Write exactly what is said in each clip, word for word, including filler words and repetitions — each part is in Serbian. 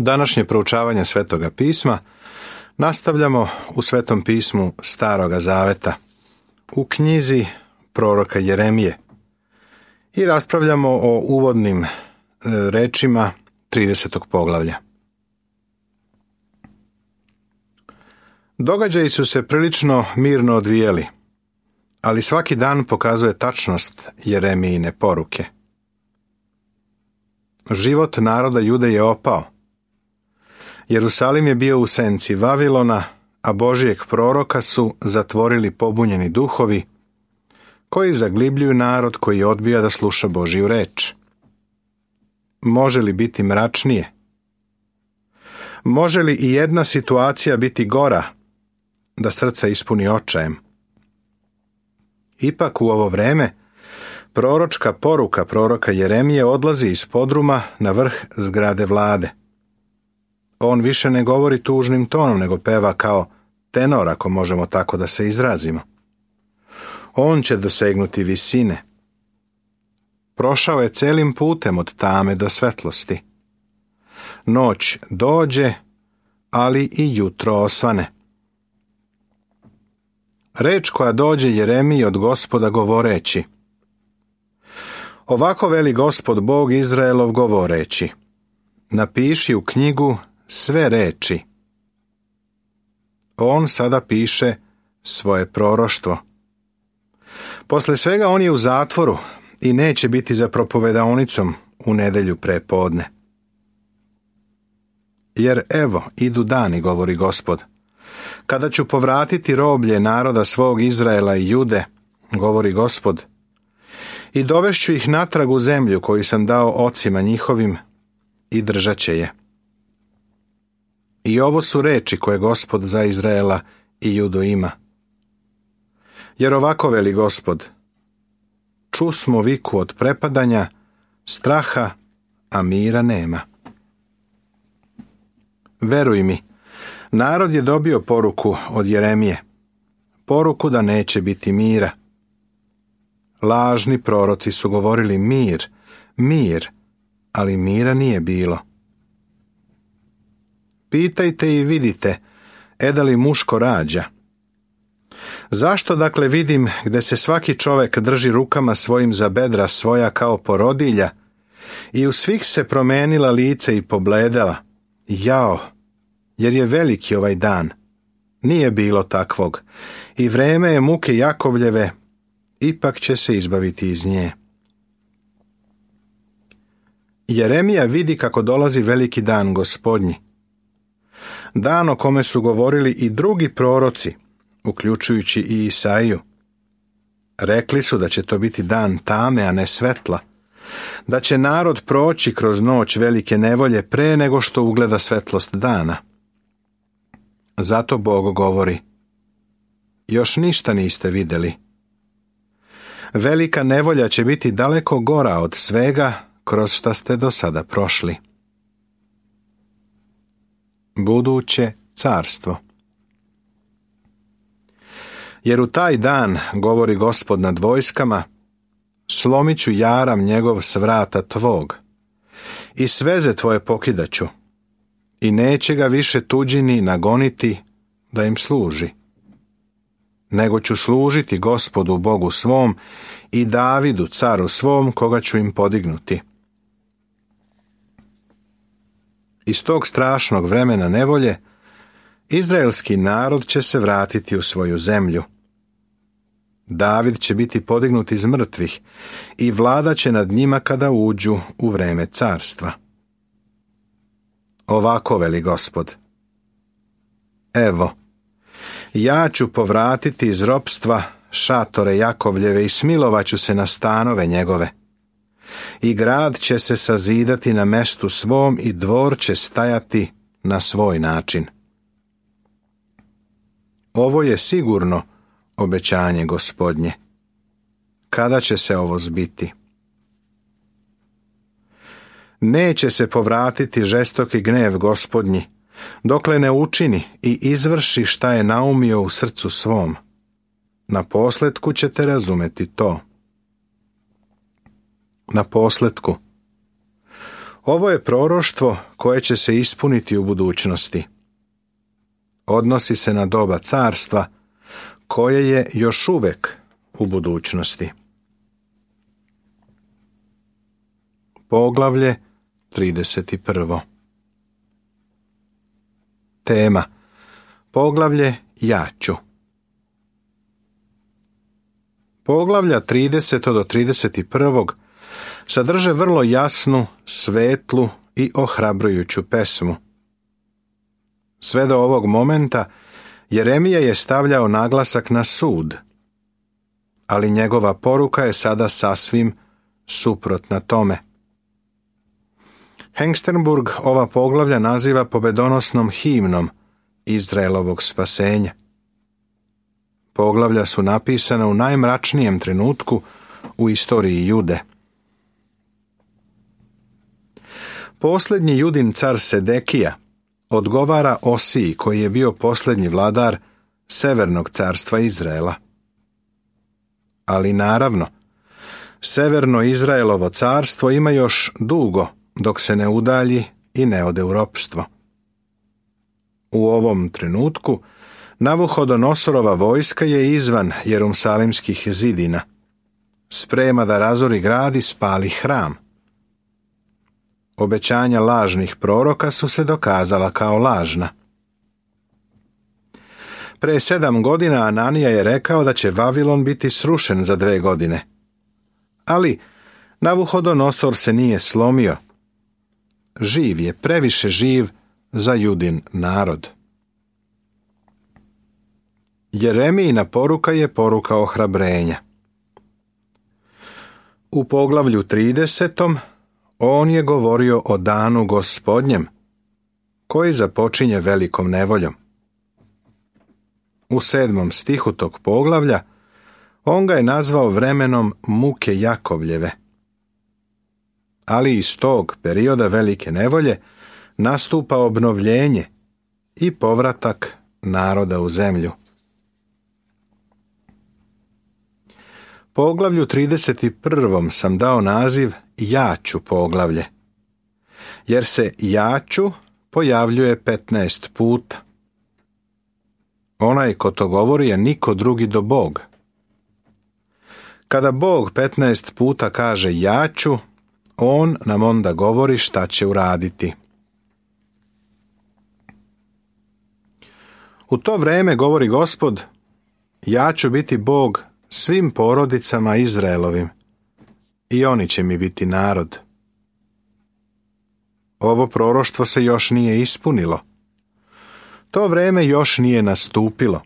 Današnje proučavanje Svetoga pisma nastavljamo u Svetom pismu Staroga Zaveta, u knjizi proroka Jeremije, i raspravljamo o uvodnim e, rečima tridesetog poglavlja. Događaji su se prilično mirno odvijeli, ali svaki dan pokazuje tačnost Jeremijine poruke. Život naroda Jude je opao. Jerusalim je bio u senci Vavilona, a Božijeg proroka su zatvorili pobunjeni duhovi, koji zaglibljuju narod koji odbija da sluša Božiju reč. Može li biti mračnije? Može li i jedna situacija biti gora, da srca ispuni očajem? Ipak u ovo vreme proročka poruka proroka Jeremije odlazi iz podruma na vrh zgrade vlade. On više ne govori tužnim tonom, nego peva kao tenor, ako možemo tako da se izrazimo. On će dosegnuti visine. Prošao je celim putem od tame do svetlosti. Noć dođe, ali i jutro osvane. Reč koja dođe Jeremiji od Gospoda govoreći: Ovako veli Gospod Bog Izraelov govoreći: napiši u knjigu sve reči. On sada piše svoje proroštvo. Posle svega on je u zatvoru i neće biti za propovedaonicom u nedelju pre podne. Jer evo, idu dani, govori Gospod, kada ću povratiti roblje naroda svog Izraela i Jude, govori Gospod, i dovešću ih natrag u zemlju koju sam dao ocima njihovim, i držat će je. I ovo su reči koje Gospod za Izraela i Judu ima. Jer ovako veli Gospod: čusmo viku od prepadanja, straha, a mira nema. Veruj mi, narod je dobio poruku od Jeremije, poruku da neće biti mira. Lažni proroci su govorili mir, mir, ali mira nije bilo. Pitajte i vidite, e da li muško rađa? Zašto dakle vidim gde se svaki čovek drži rukama svojim za bedra svoja kao porodilja, i u svih se promenila lice i pobledela? Jao, jer je veliki ovaj dan. Nije bilo takvog, i vreme je muke Jakovljeve, ipak će se izbaviti iz nje. Jeremija vidi kako dolazi veliki dan Gospodnji. Dan o kome su govorili i drugi proroci, uključujući i Isaiju. Rekli su da će to biti dan tame, a ne svetla, da će narod proći kroz noć velike nevolje pre nego što ugleda svetlost dana. Zato Bog govori: još ništa niste vidjeli. Velika nevolja će biti daleko gora od svega kroz šta ste do sada prošli. Buduće carstvo. Jer u taj dan, govori Gospod nad vojskama, slomit ću jaram njegov s vrata tvog, i sveze tvoje pokidaću, i neće ga više tuđini nagoniti da im služi. Nego ću služiti Gospodu Bogu svom i Davidu caru svom, koga ću im podignuti. Iz tog strašnog vremena nevolje izraelski narod će se vratiti u svoju zemlju. David će biti podignut iz mrtvih i vlada će nad njima kada uđu u vreme carstva. Ovako veli Gospod: evo, ja ću povratiti iz ropstva šatore Jakovljeve i smilovaću se na stanove njegove. I grad će se sazidati na mestu svom i dvor će stajati na svoj način. Ovo je sigurno obećanje Gospodnje. Kada će se ovo zbiti? Neće se povratiti žestoki gnev Gospodnji, dokle ne učini i izvrši šta je naumio u srcu svom. Na posletku ćete razumeti to. Na posletku. Ovo je proroštvo koje će se ispuniti u budućnosti. Odnosi se na doba carstva, koje je još uvek u budućnosti. Poglavlje trideset prvo. Tema. Poglavlje Ja ću. Poglavlja trideset do trideset jedan sadrže vrlo jasnu, svetlu i ohrabrujuću pesmu. Sve do ovog momenta Jeremija je stavljao naglasak na sud, ali njegova poruka je sada sasvim suprotna tome. Hengstenburg ova poglavlja naziva pobedonosnom himnom Izraelovog spasenja. Poglavlja su napisana u najmračnijem trenutku u istoriji Jude. Posljednji Judin car Sedekija odgovara Osiji, koji je bio posljednji vladar Severnog carstva Izraela. Ali naravno, Severno Izraelovo carstvo ima još dugo dok se ne udalji i ne ode u ropstvo. U ovom trenutku Navuhodonosorova vojska je izvan Jerusalimskih zidina. Sprema da razori grad i spali hram. Obećanja lažnih proroka su se dokazala kao lažna. Pre sedam godina Ananija je rekao da će Vavilon biti srušen za dve godine. Ali Navuhodonosor se nije slomio. Živ je, previše živ za Judin narod. Jeremijina poruka je poruka ohrabrenja. U poglavlju tridesetom on je govorio o danu Gospodnjem, koji započinje velikom nevoljom. U sedmom stihu tog poglavlja on ga je nazvao vremenom muke Jakovljeve. Ali iz tog perioda velike nevolje nastupa obnovljenje i povratak naroda u zemlju. Poglavlju trideset jedan sam dao naziv Ja ću poglavlje, jer se Ja ću pojavljuje petnaest puta. Onaj ko to govori je niko drugi do Bog. Kada Bog petnaest puta kaže Ja ću, on nam onda govori šta će uraditi. U to vreme, govori Gospod, ja ću biti Bog svim porodicama Izraelovim i oni će mi biti narod. Ovo proroštvo se još nije ispunilo. To vreme još nije nastupilo.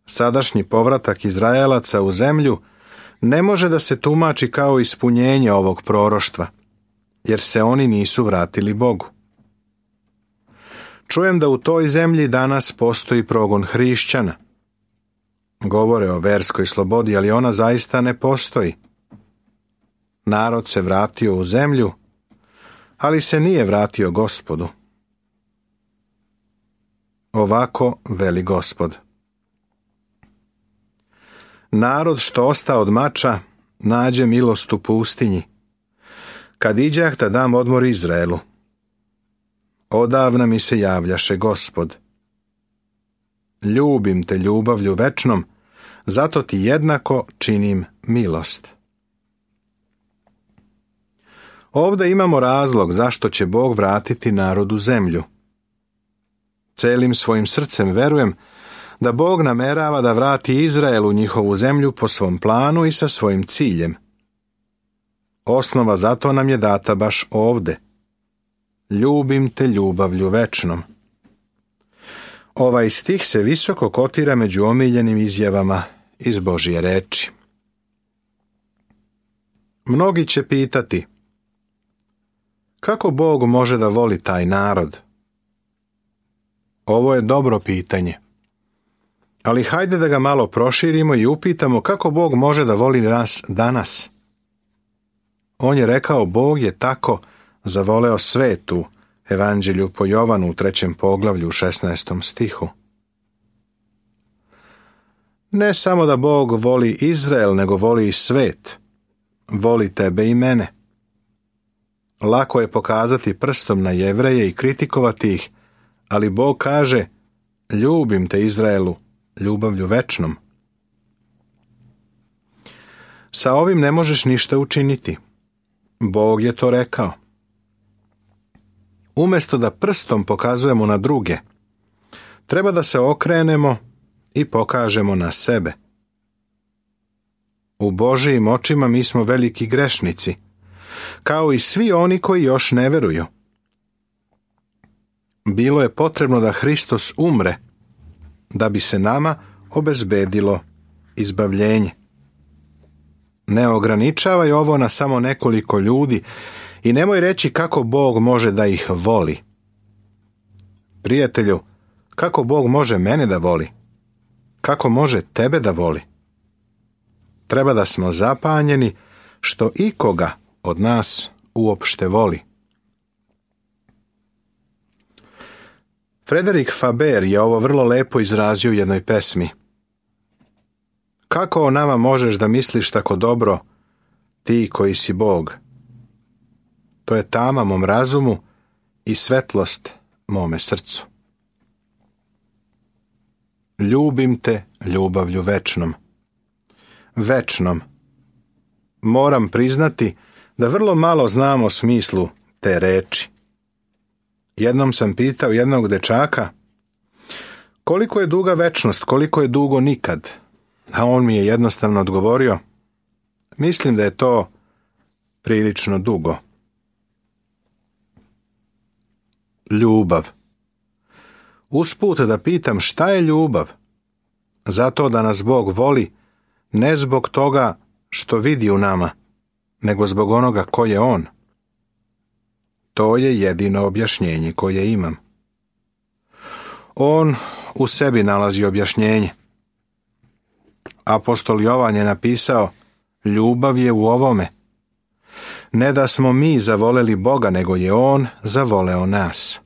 Sadašnji povratak Izraelaca u zemlju ne može da se tumači kao ispunjenje ovog proroštva, jer se oni nisu vratili Bogu. Čujem da u toj zemlji danas postoji progon hrišćana. Govore o verskoj slobodi, ali ona zaista ne postoji. Narod se vratio u zemlju, ali se nije vratio Gospodu. Ovako veli Gospod. Narod što osta od mača, nađe milost u pustinji. Kad iđah da dam odmor Izraelu. Odavna mi se javljaše Gospod. Ljubim te ljubavlju večnom, zato ti jednako činim milost. Ovdje imamo razlog zašto će Bog vratiti narod u zemlju. Celim svojim srcem verujem da Bog namerava da vrati Izrael u njihovu zemlju po svom planu i sa svojim ciljem. Osnova za to nam je data baš ovde. Ljubim te ljubavlju večnom. Ovaj stih se visoko kotira među omiljenim izjavama iz Božje reči. Mnogi će pitati, kako Bog može da voli taj narod? Ovo je dobro pitanje. Ali hajde da ga malo proširimo i upitamo kako Bog može da voli nas danas. On je rekao, Bog je tako zavoleo svet u Evanđelju po Jovanu u trećem poglavlju u šesnaestom stihu. Ne samo da Bog voli Izrael, nego voli i svet. Voli tebe i mene. Lako je pokazati prstom na Jevreje i kritikovati ih, ali Bog kaže: ljubim te, Izraelu, ljubavlju večnom. Sa ovim ne možeš ništa učiniti. Bog je to rekao. Umjesto da prstom pokazujemo na druge, treba da se okrenemo i pokažemo na sebe. U Božijim očima mi smo veliki grešnici, kao i svi oni koji još ne veruju. Bilo je potrebno da Hristos umre, da bi se nama obezbedilo izbavljenje. Ne ograničavaj ovo na samo nekoliko ljudi i nemoj reći kako Bog može da ih voli. Prijatelju, kako Bog može mene da voli? Kako može tebe da voli? Treba da smo zapanjeni što ikoga od nas uopšte voli. Frederik Faber je ovo vrlo lepo izrazio u jednoj pesmi. Kako o nama možeš da misliš tako dobro, ti koji si Bog? To je tama mom razumu i svetlost mome srcu. Ljubim te ljubavlju večnom. Večnom. Moram priznati da vrlo malo znam o smislu te reči. Jednom sam pitao jednog dečaka: koliko je duga večnost, koliko je dugo nikad? A on mi je jednostavno odgovorio: mislim da je to prilično dugo. Ljubav. Usput da pitam šta je ljubav? Zato da nas Bog voli, ne zbog toga što vidi u nama, nego zbog onoga ko je On. To je jedino objašnjenje koje imam. On u sebi nalazi objašnjenje. Apostol Jovan je napisao: ljubav je u ovome. Ne da smo mi zavoleli Boga, nego je On zavoleo nas,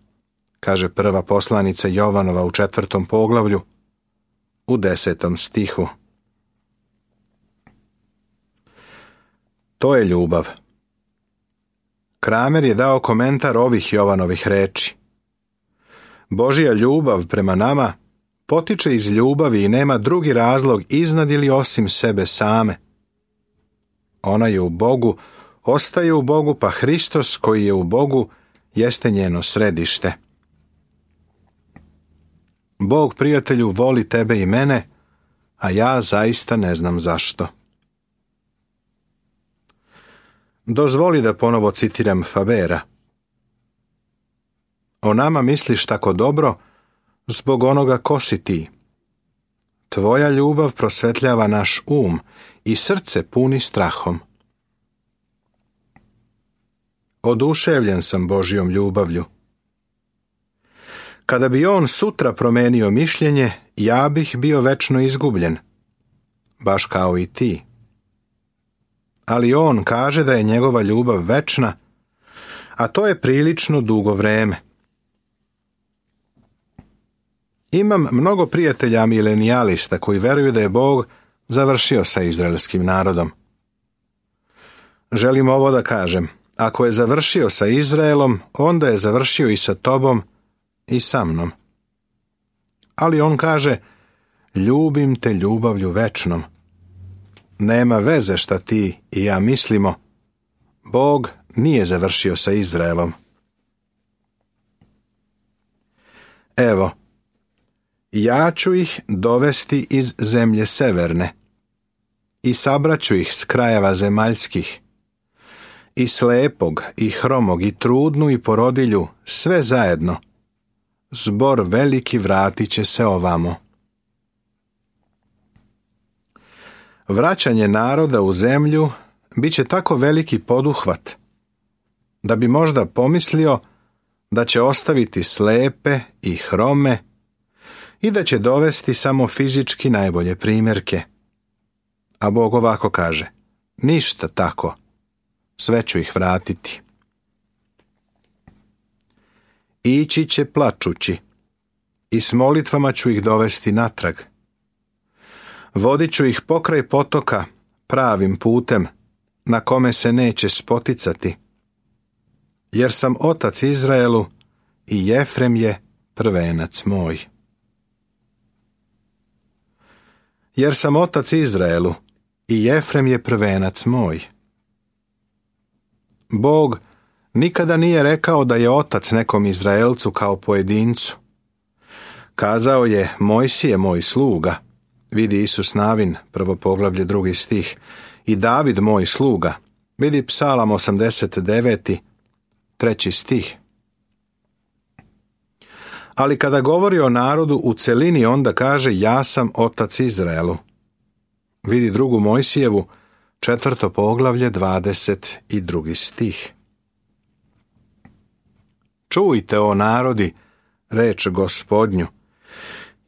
kaže prva poslanica Jovanova u četvrtom poglavlju, u desetom stihu. To je ljubav. Kramer je dao komentar ovih Jovanovih reči. Božja ljubav prema nama potiče iz ljubavi i nema drugi razlog iznad ili osim sebe same. Ona je u Bogu, ostaje u Bogu, pa Hristos koji je u Bogu jeste njeno središte. Bog, prijatelju, voli tebe i mene, a ja zaista ne znam zašto. Dozvoli da ponovo citiram Fabera. O nama misliš tako dobro zbog onoga ko si ti. Tvoja ljubav prosvetljava naš um i srce puni strahom. Oduševljen sam Božjom ljubavlju. Kada bi on sutra promenio mišljenje, ja bih bio večno izgubljen, baš kao i ti. Ali on kaže da je njegova ljubav večna, a to je prilično dugo vreme. Imam mnogo prijatelja milenijalista koji veruju da je Bog završio sa izraelskim narodom. Želim ovo da kažem: ako je završio sa Izraelom, onda je završio i sa tobom i sa mnom. Ali on kaže: ljubim te ljubavlju večnom. Nema veze šta ti i ja mislimo. Bog nije završio sa Izraelom. Evo, ja ću ih dovesti iz zemlje severne i sabraću ih s krajeva zemaljskih, i slepog, i hromog, i trudnu, i porodilju, sve zajedno. Zbor veliki vratit će se ovamo. Vraćanje naroda u zemlju bit će tako veliki poduhvat, da bi možda pomislio da će ostaviti slepe i hrome i da će dovesti samo fizički najbolje primjerke. A Bog ovako kaže: ništa tako, sve ću ih vratiti. Ići će plačući i s molitvama ću ih dovesti natrag. Vodit ću ih pokraj potoka pravim putem, na kome se neće spoticati. jer sam otac Izraelu i Jefrem je prvenac moj. Jer sam otac Izraelu i Jefrem je prvenac moj. Bog nikada nije rekao da je otac nekom Izraelcu kao pojedincu. Kazao je: Mojsije moj sluga, vidi Isus Navin, prvo poglavlje, drugi stih, i David moj sluga, vidi Psalam osamdeset devet, treći stih. Ali kada govori o narodu u celini, onda kaže: ja sam otac Izraelu. Vidi drugu Mojsijevu, četvrto poglavlje, dvadeset drugi stih. Čujte, o narodi, reč Gospodnju,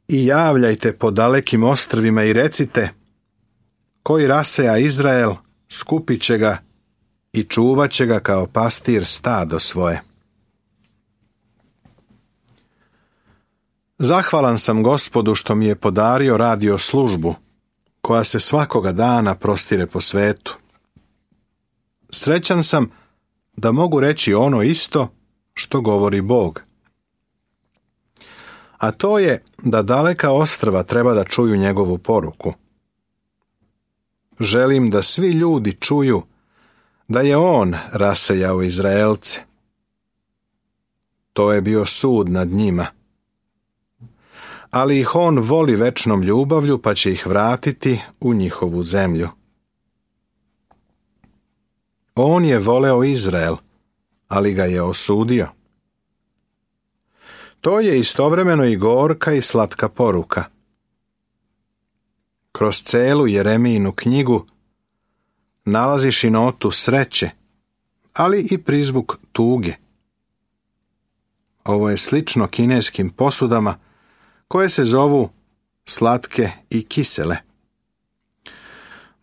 i javljajte po dalekim ostrvima i recite: koji raseja Izrael, skupit će ga i čuvat će ga kao pastir stado svoje. Zahvalan sam Gospodu što mi je podario radio službu, koja se svakoga dana prostire po svetu. Srećan sam da mogu reći ono isto što govori Bog. A to je da daleka ostrva treba da čuju njegovu poruku. Želim da svi ljudi čuju da je on rasejao Izraelce. To je bio sud nad njima. Ali ih on voli večnom ljubavlju, pa će ih vratiti u njihovu zemlju. On je voleo Izrael, ali ga je osudio. To je istovremeno i gorka i slatka poruka. Kroz celu Jeremijinu knjigu nalaziš i notu sreće, ali i prizvuk tuge. Ovo je slično kineskim posudama koje se zovu slatke i kisele.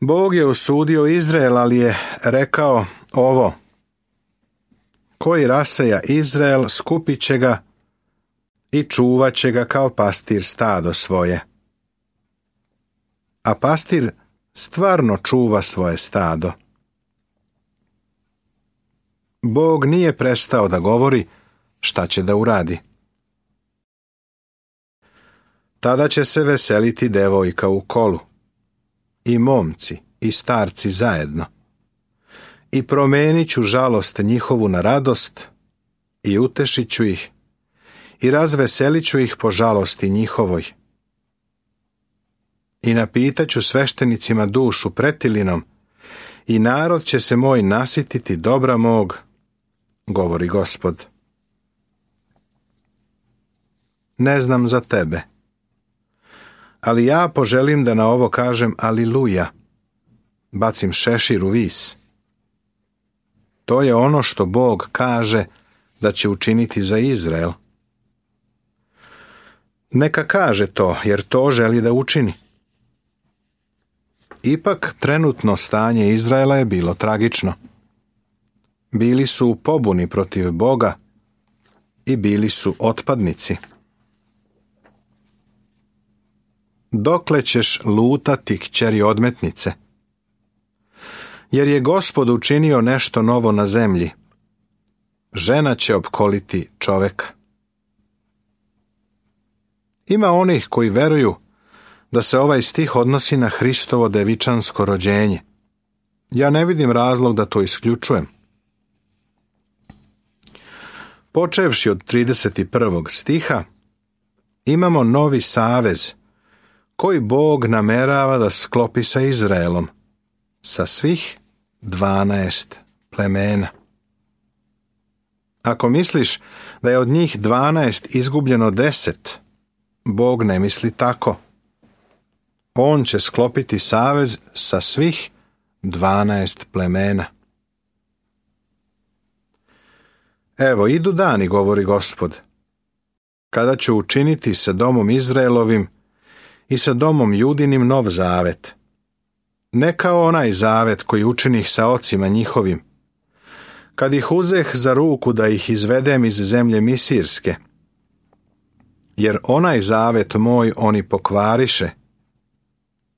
Bog je osudio Izrael, ali je rekao ovo: koji raseja Izrael, skupit će ga i čuvat će ga kao pastir stado svoje. A pastir stvarno čuva svoje stado. Bog nije prestao da govori šta će da uradi. Tada će se veseliti devojka u kolu, i momci i starci zajedno, i promenit ću žalost njihovu na radost, i utešit ću ih, i razveselit ću ih po žalosti njihovoj. I napitat ću sveštenicima dušu pretilinom, i narod će se moj nasititi dobra mog, govori Gospod. Ne znam za tebe, ali ja poželim da na ovo kažem aliluja, bacim šešir u vis. To je ono što Bog kaže da će učiniti za Izrael. Neka kaže to, jer to želi da učini. Ipak trenutno stanje Izraela je bilo tragično. Bili su u pobuni protiv Boga i bili su otpadnici. Dokle ćeš lutati, kćeri odmetnice? Jer je Gospod učinio nešto novo na zemlji. Žena će opkoliti čoveka. Ima onih koji veruju da se ovaj stih odnosi na Hristovo devičansko rođenje. Ja ne vidim razlog da to isključujem. Počevši od trideset prvog stiha, imamo novi savez koji Bog namerava da sklopi sa Izraelom, sa svih dvanaest plemena. Ako misliš da je od njih dvanaest izgubljeno deset, Bog ne misli tako. On će sklopiti savez sa svih dvanaest plemena. Evo, idu dani, govori Gospod, kada ću učiniti sa domom Izraelovim i sa domom Judinim nov zavet. Ne kao onaj zavet koji učinih sa ocima njihovim, kad ih uzeh za ruku da ih izvedem iz zemlje Misirske. Jer onaj zavet moj oni pokvariše,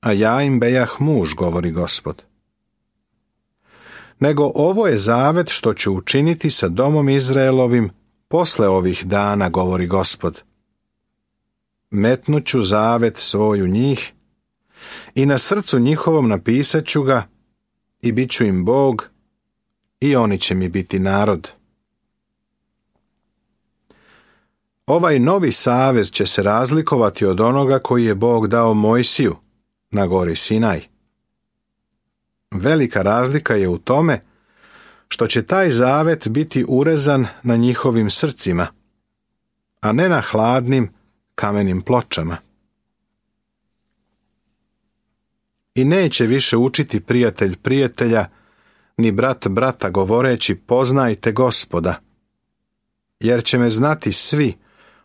a ja im bejah muž, govori Gospod. nego ovo je zavet što ću učiniti sa domom Izraelovim posle ovih dana, govori Gospod. Metnuću zavet svoj u njih i na srcu njihovom napisat ću ga i bit ću im Bog i oni će mi biti narod. Ovaj novi savez će se razlikovati od onoga koji je Bog dao Mojsiju na gori Sinaj. Velika razlika je u tome što će taj zavet biti urezan na njihovim srcima, a ne na hladnim kamenim pločama. I neće više učiti prijatelj prijatelja, ni brat brata govoreći poznajte Gospoda, jer će me znati svi,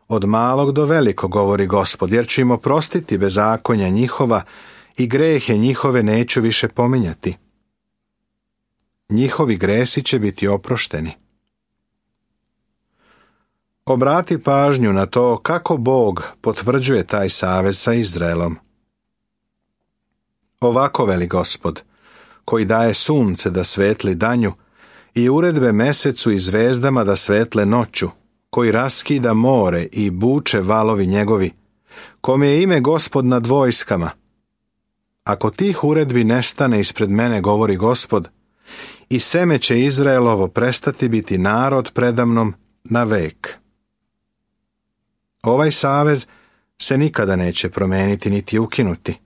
od malog do velikog, govori Gospod, jer ću im oprostiti bezakonja njihova i grehe njihove neću više pominjati. Njihovi gresi će biti oprošteni. Obrati pažnju na to kako Bog potvrđuje taj savez sa Izraelom. Ovako veli Gospod, koji daje sunce da svetli danju i uredbe mesecu i zvezdama da svetle noću, koji raskida more i buče valovi njegovi, kome je ime Gospod nad vojskama. Ako tih uredbi nestane ispred mene, govori Gospod, i seme će Izraelovo prestati biti narod predamnom na vek. Ovaj savez se nikada neće promeniti niti ukinuti.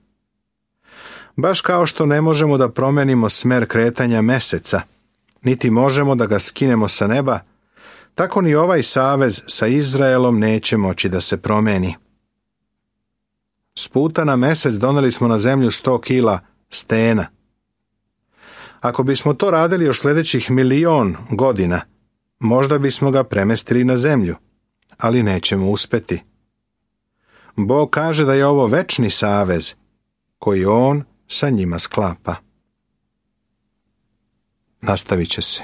Baš kao što ne možemo da promenimo smer kretanja meseca, niti možemo da ga skinemo sa neba, tako ni ovaj savez sa Izraelom neće moći da se promeni. S puta na mesec doneli smo na zemlju sto kila stena. Ako bismo to radili još sljedećih milion godina, možda bismo ga premestili na zemlju, ali nećemo uspeti. Bog kaže da je ovo večni savez koji on sa njima sklapa. Nastavit će se.